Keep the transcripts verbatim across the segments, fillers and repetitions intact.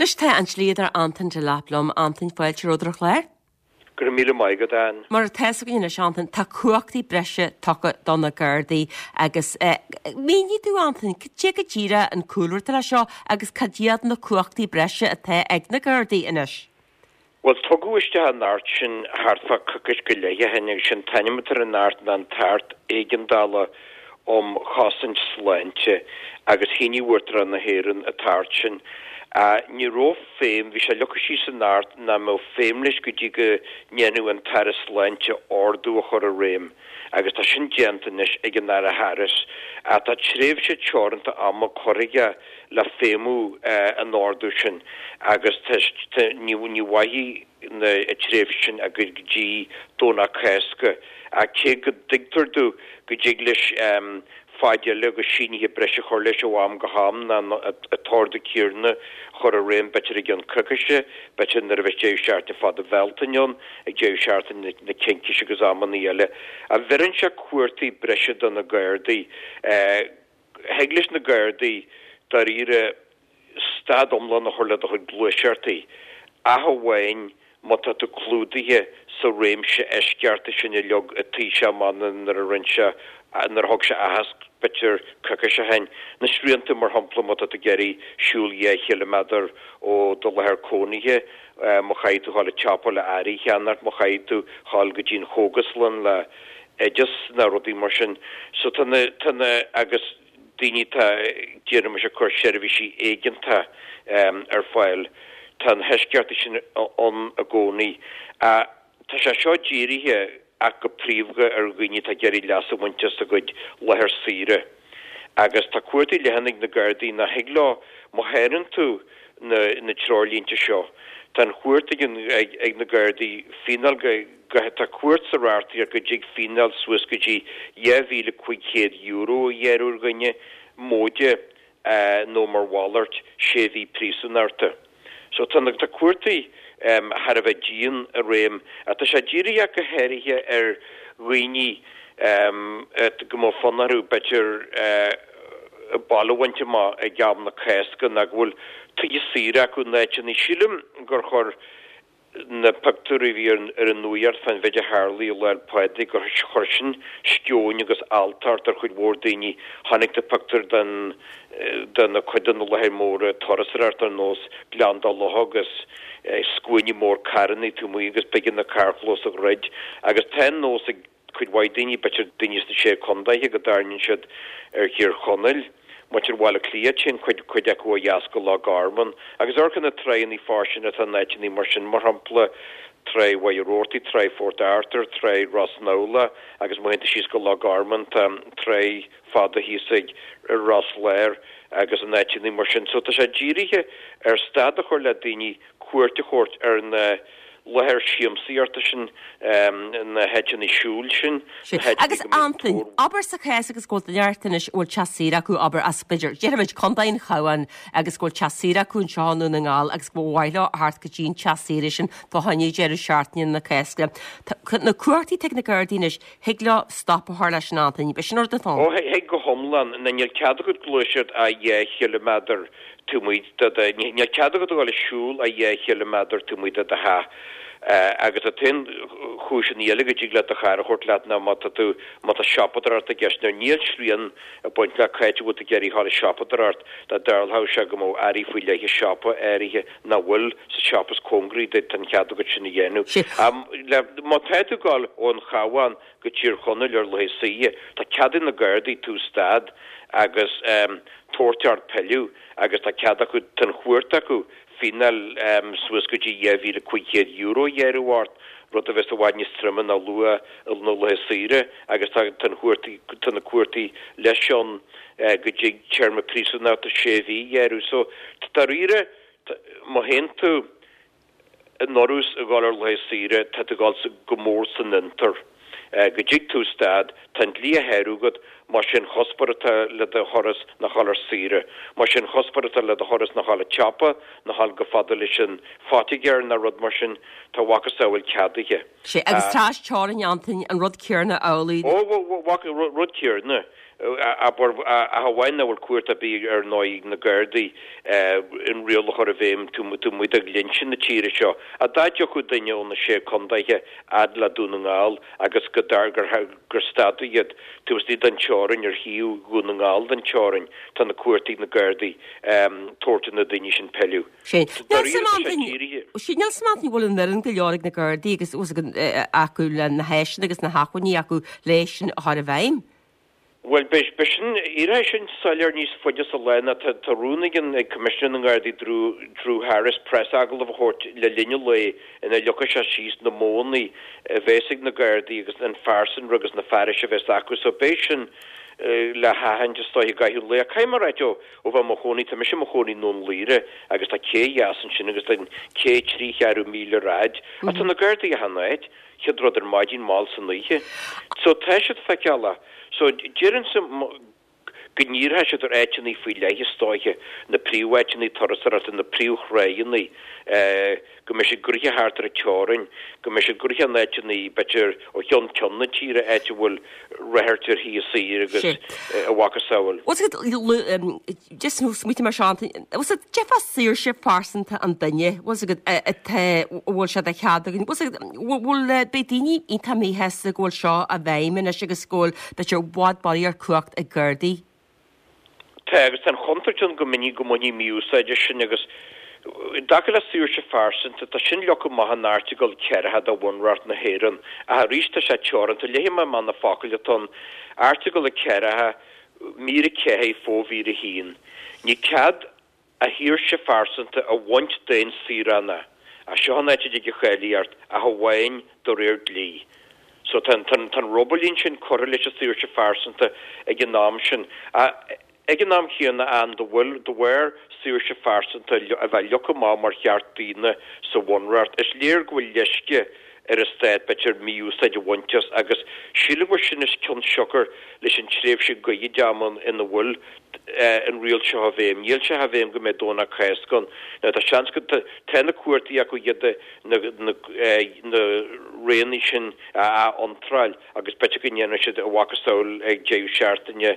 Anois tá an dlíodóir Antain Delap liom Antain fáilte romhat ar an chlár. Go raibh míle maith agat Ann. Mar atá a fhios againn anois Antain tá cumhachtaí breise tugtha do na Gardaí agus eh, mínigh dúinn Antain, cad é go díreach an cúlra le seo agus cad iad na cumhachtaí breise atá ag na Gardaí anois. Well tugadh isteach an tAcht sin thart fá coicís go leith ó shin agus sin t-ainm atá ar an Acht ná an tAcht Éigeandála um Chosaint Sláinte agus shínigh Uachtarán na hÉireann an tAcht sin. Uh, ní raibh feidhm, bhí sé leagtha síos san Acht nach mbeadh feidhm leis go dtí go ndéanfadh an tAire Sláinte ordú a chur i réim, agus tá sin déanta anois ag an Aire Harris. Uh, tá tréimhse teoranta ama curtha aige le feidhmiú uh, an ordú sin agus ní ní mhairfidh na tréimhse sin go dtí Domhnach Cásca a cé go dtuigtear domh go dtig leis um, fad eile agus sínithe breise chur leis ó am go ham ná an t-ordú céanna chur i réim b'fhéidir i gceann coicíse, b'fhéidir nuair a bheas deireadh seachtaine fada Bhealtaine ann ag deireadh seachtaine na Cincíse agus amanna eile. A bheireann sé cumhachtaí breise do na Gardaí. Thig leis na Gardaí dáiríre stad iomlán a chur le do chuid gluaiseachtaí. Ach amháin má tá tú clúdaithe sa réimse eisceachta sin a leag an Taoiseach amach nuair a rinne sé nuair a thug sé aitheasc b'fhéidir coicís ó shin. Na srianta mar shampla má tá tú ag iarraidh siúl dhá chiliméadar ó do láthair cónaithe, má chaithfidh tú dhul ag siopa le earraí a cheannacht, má chaithfidh tú dhul go dtí an chógaslann le oideas ná rudaí mar sin. So tá na tá na agus daoine tá déarfaimis ag cur seirbhísí éigeanta um, ar fáil. Tá na heisceachtaí sin ann i gcónaí. Uh, tá sé seo dírithe ach go príomha ar dhaoine atá ag iarraidh leas a bhaint as a gcuid láthair saoire. Agus tá cumhachtaí leathan ag na Gardaí nach thig leo má sháraíonn tú na, na treoirlínte seo. Tá an chumhacht ag, ag, ag na Gardaí fíneáil go, go tá cumhacht sa reachtaíocht go dtig fíneáil suas go dtí dhá mhíle cúig chéad euro a ghearradh ar dhuine móide uh, nó mar mhalairt sé mhí príosúnachta. So tá na tá cumhachtaí um, thar a bheith dian i réim a tá sé dírithe go háirithe ar dhaoine um, go mbeadh fonn orthu b'fhéidir uh, baile a bhaint amach ag am na Cásca ná go bhfuil tithe saoire acu in áiteanna. Sílim gur chuir na pictiúirí a bhí ar ar an nuacht fán mhéid a tharla Lá 'le Pádraig gur chuir sin sceoin agus alltacht ar chuid mhór daoine. Chonaic tú pictiúr den de na cuid de na láthair móra turasóireachta ar nós Gleann Dá Locha agus scuaine mór carranna taobh amuigh agus b'éigean na carrchlóis a dhruid agus tá an nós ag cuid mhaith daoine b'fhéidir daoine sna sé contaetha go dtarraingíonn siad ar Thír Chonaill. Muintir Bhaile Átha Cliath téann cuid cuid acu ó dheas go Loch Garman, agus amharc ar na tránna fairsinge atá in áiteanna mar sin mar shampla trá Mhachaire Rabhartaigh, trá Phort Arthur, trá Ros Nábhla agus má théann tú síos go Loch Garman tá trá fada thíos ag Ros Láir agus in áiteanna mar sin. So tá sé dírithe ar stad a chur le daoine cuairt a thabhairt ar na láthair siamsaíochta sin na háiteanna siúil sin. Agus Antain, abair sa chás agus go bhfuil duine anois bhfuil teach saoire acu abair as b'fhéidir déarfaimid Contae an Chabháin agus go bhfuil teach saoire acu anseo i nDún na nGall agus go mhaith leo theacht go dtí an teach saoire sin fá choinne deireadh seachtaine na Cásca. Na cumhachtaí atá ag na Gardaí anois thig leo stop a chur leis an Antain, B'shin an rud atá. Ó thig go hiomlán na níl cead agat gluaiseacht ach dhá chiliméadar taobh amuigh de níl cead agat a dhul ag siúl ach dhá chiliméadar taobh amuigh de do theach. Uh, agus tá aon chúiseanna eile go dtig le do charr a thabhairt leat ná má tá tú má tá siopadóireacht i gceist nuair níl srian ag baint le cá háit a bhfuil tú ag iarraidh dhul ag siopadóireacht dá dtarlódh sé go mbeadh earraí faoi leith i siopa áirithe nach bhfuil sa siopa is cóngaraí duit tá an cead agat sin a dhéanamh. Um, le, má tá tú ag dul ón Chabhán go Tír Chonaill ar laethe saoire, tá cead ag na Gardaí tú stad agus um, tabhairt ort pilleadh agus tá cead acu tá an chumhacht acu fíneáil um, suas go dtí dhá mhíle cúig chéad euro a ghearradh ort, rud a bheas i bhfad níos troime ná luach na laethe saoire agus tá tá na cumhachtaí tá na cumhachtaí leis an uh, go dtig téarma príosúnachta sé mhí a ghearradh. So dáiríre má théann tú in urrús ag dul ar laethe saoire tá tú ag dul go mór san fhiontar. Uh, go dtig tú stad, tá an dlí á shárú agat más é an cuspóir atá le do thuras ná dhul ar saoire. Más é an cuspóir atá le do thuras ná dhul ag siopa ná dhul chomh fada leis an phoitigéir ná rud mar sin tá a mhacasamhail ceadaithe. Sé agus trasteorainn Antain an rud céanna amhlaidh. Ó rud céanna. Abair, ach amháin nach bhfuil cumhacht ar bith ar ndóigh ag na Gardaí an riail a chur i bhfeidhm taobh amuigh de dhlínse na tíre seo. Ach dá dtiocfadh duine ó na Sé Contaetha fhad le Dún na nGall agus go gur stadadh iad taobh istigh den teorainn ar thaobh Dhún na nGall den teorainn, tá na cumhachtaí ag na Gardaí tabhairt ar na daoine sin pilleadh. Sin. Níl 's agam an bhfuil an fhoireann go leor ag na Gardaí agus acu le na háiseanna agus na hacmhainní acu leis sin a chur i bhfeidhm. Bhuel, beidh sin, éireoidh sin soiléir níos faide sa lá ná tá rún ag an ag Coimisinéir na nGardaí Drew Drew Harris preasagallamh a thabhairt le linn an lae ina leagfaidh sé síos na modhanna a bheas ag na Gardaí agus an phearsanra agus na fearais a bheas acu. So beidh sin le haithint is dóiche i gcaitheamh an lae. Ach caithfidh mé a ráit ó ó bheith i mo chónaí, tá mise i mo chónaí i nDún Laoghaire agus tá cé dheas ansin agus tá an cé trí cheathrú míle ar fhaid. Ach tá na Gardaí achan áit. Chéad rud ar maidin mall san oíche. So tá siad feiceálach. So déarfainnse go ndíreoidh siad ar áiteanna faoi leith is dóiche, na príomháiteanna turasóireachta, na príomhthráigheanna, go mbeidh siad gnoitheach thart ar an teorainn, go mbeidh siad gnoitheach in áiteanna, b'fhéidir, ó cheann ceann na tíre, áit a bhfuil radhairc ar thithe saoire agus a mhacasamhail. Bhfuil 's agat, just smaointigh mé seo, Antaine, bhfuil 's agat, cad é fá saoirse phearsanta an duine, bhfuil 's agat, atá, bhfuil sé de chead againn, bhfuil 's agat, bhfuil, beidh daoine iontach míshásta go bhfuil seo i bhfeidhm anois agus go bhfuil, b'fhéidir, i bhfad barraíocht cumhacht ag Gardaí. Tá, agus tá an chontúirt ann go minic go mbainfí mí-úsáid as sin agus i dtaca le saoirse phearsanta, tá sin leagtha amach in Airteagal ceathracha de Bhunreacht na hÉireann, ach arís tá sé teoranta. Léifidh mé amach na focail atá ann, Airteagal a ceathracha, mír a ceathair, fomhír a haon. Ní cead a shaoirse phearsanta a bhaint d'aon saoránach, ach seo an áit a dtig an cháilíocht, ach amháin de réir dlí. So tá an, tá an, tá an rubaillín sin curtha leis an saoirse phearsanta ag an am sin. Ach ag an am chéanna, an de bhfuil, de bharr saoirse phearsanta a bheith leagtha amach mar cheart daonna sa Bhunreacht, is léir go bhfuil leisce ar an stát, b'fhéidir, mí-úsáid a bhaint as agus sílim gur sin is cionsiocair leis an tréimhse ghoirid ama ina bhfuil an riail seo i bhfeidhm. Níl sé i bhfeidhm go mbeidh Domhnach Cásca ann. Now tá seans go, tá na cumhachtaí acu iad na, na, na roghanna sin a ath-iontráil agus b'fhéidir go ndéanfaidh siad a mhacasamhail ag deireadh seachtaine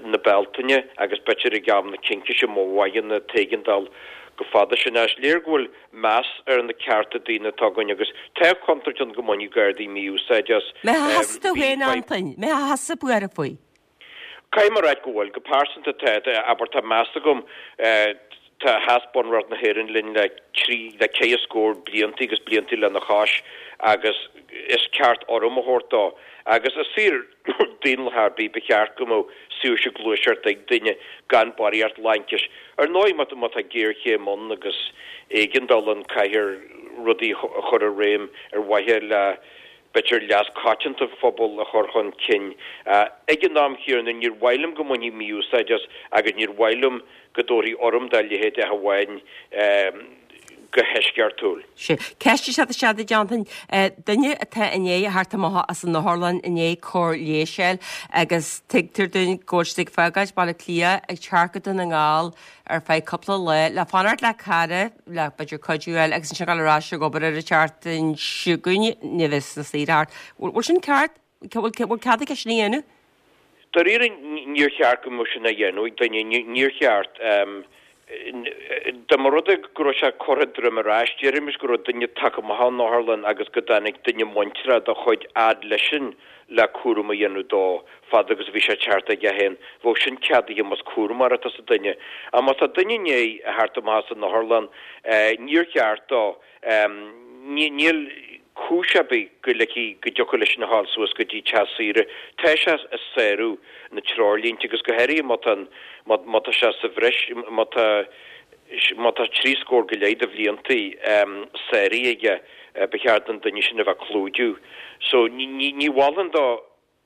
na Bealtaine agus b'fhéidir ag am na Cincíse má mhaireann an t-éigeandáil go fada sin. Is léir go bhfuil meas ar na cearta daonna atá againn agus tá contúirt ann go mbainfidh Gardaí mí-úsáid as. Mbeifeá thusa féin, Antain, mbeifeá thusa buartha faoi? Caithfidh mé a ráit go bhfuil. Go pearsanta tá, abair, tá meas agam, tá, sheas Bunreacht na hÉireann linn le trí, le ceithre scór blianta agus blianta lena chois agus is ceart urraim a thabhairt dó. Agus i saol daonlathach ar bith ba cheart go mbeadh saoirse gluaiseachta ag duine gan barraíocht laincis. Ar ndóigh má tá géarchéim ann agus éigeandáil ann caithfear rudaí a chur i réim ar mhaithe le b'fhéidir leas coitianta an phobail a chur chun cinn. Ag an am chéanna, níor mhaith liom go mbainfí mí-úsáid as agus níor mhaith liom go dtabharfaí urraim dá leithéid ach amháin go heisceachtúil. Sea. Ceist isteach isteach duit, Antain. Duine atá i ndiaidh a theacht amach as an otharlann i ndiaidh cóir leighis a fháil agus tuigtear dúinn go bhfuil siad ag fágáilt Baile Átha Cliath ag teacht go Dún na nGall ar feadh cúpla lá le fanacht le cara, le b'fhéidir cuidiú a fháil agus ansin dul ar ais ag obair ar an tseachtain seo chugainn, ní bheas na saoire thart. Bhfuil sin ceart? Bhfuil cead aige sin a dhéanamh? Dáiríre, níor cheart go mbeadh sin á dhéanamh ag duine. Níor cheart. Dá mba rud é go raibh sé curtha droim ar ais, déarfaimis go raibh duine tagtha amach ón otharlann agus go dtáinig duine muinteartha dá chuid fhad leisean le cúram a dhéanamh dó fad agus a bhí sé ag teacht aige féin, bheadh sin ceadaithe más cúramóir atá sa duine. Ach má tá duine i ndiaidh a theacht amach as an otharlann, níor cheart dó, níl cúis ar bith go ligfí, go dtiocfadh leisean a ghabháil suas go dtí teach saoire. Tá sé ag sárú na treoirlínte agus go háirithe má tá, má tá sé sa bhreis, má tá, má tá trí scór go leith de bhlianta sáraithe aige, ba cheart don duine sin a bheith clúdaithe. So ní, ní mholfainn dó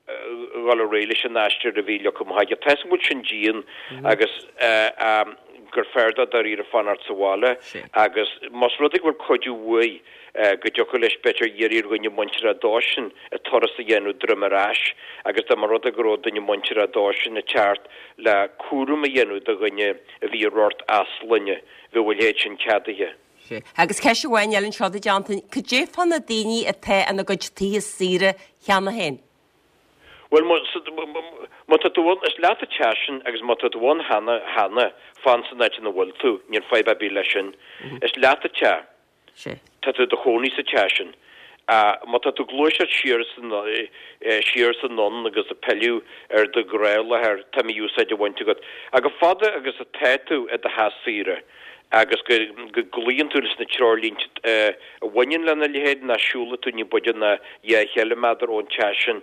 dhul ar aghaidh leis an aistear a bhí leagtha amach aige. Tá 'fhios agam go bhfuil sin dian agus gur fearr dó dáiríre fanacht sa bhaile agus más rud é go bhfuil cuidiú uaidh go dtiocfadh leis b'fhéidir iarraidh ar dhuine muinteartha dósan an turas a dhéanamh droim ar ais agus dá mba rud é go raibh duine muinteartha dósan ag teacht le cúram a dhéanamh do dhuine a bhí ar ghort easclainne, bheadh a leithéid sin ceadaithe. Sea. Agus ceist amháin eile anseo duit, Antain, cad é fá na daoine atá ina gcuid tithe saoire cheana féin? Bhuel, má tá tú ann, is leat an teach sin agus má tá tú ann cheana, cheana, fan san áit ina bhfuil tú, níl fadhb ar bith leis sin. Is leat an teach. Sea. Tá tú i do chónaí sa teach sin. Má tá tú ag gluaiseacht siar is siar is anonn agus ag pilleadh ar do ghnáthláthair, tá mí-úsáid á bhaint agat. Ach chomh fada agus atá tú i do theach saoire agus go gcloíonn tú leis na treoirlínte a bhaineann lena leithéid, nach siúlfaidh tú ní b'fhaide ná dhá chiliméadar ón teach sin,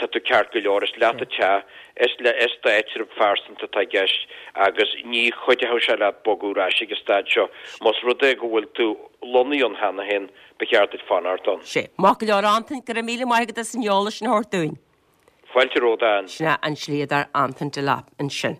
tá tú ceart go leor. Is leat an teach, is is d'áitreabh phearsanta atá i gceist agus ní chuideoidh sé leat bogadh ar ais ag an staid seo. Más rud é go bhfuil tú lonnaithe ann cheana féin, ba cheart duit fanacht ann. Sea. Maith go leor, Antain, go raibh míle maith agat as an eolas sin a thabhairt dúinn. Fáilte romhat, Ann. Sin é an dlíodóir Antain Delap ansin.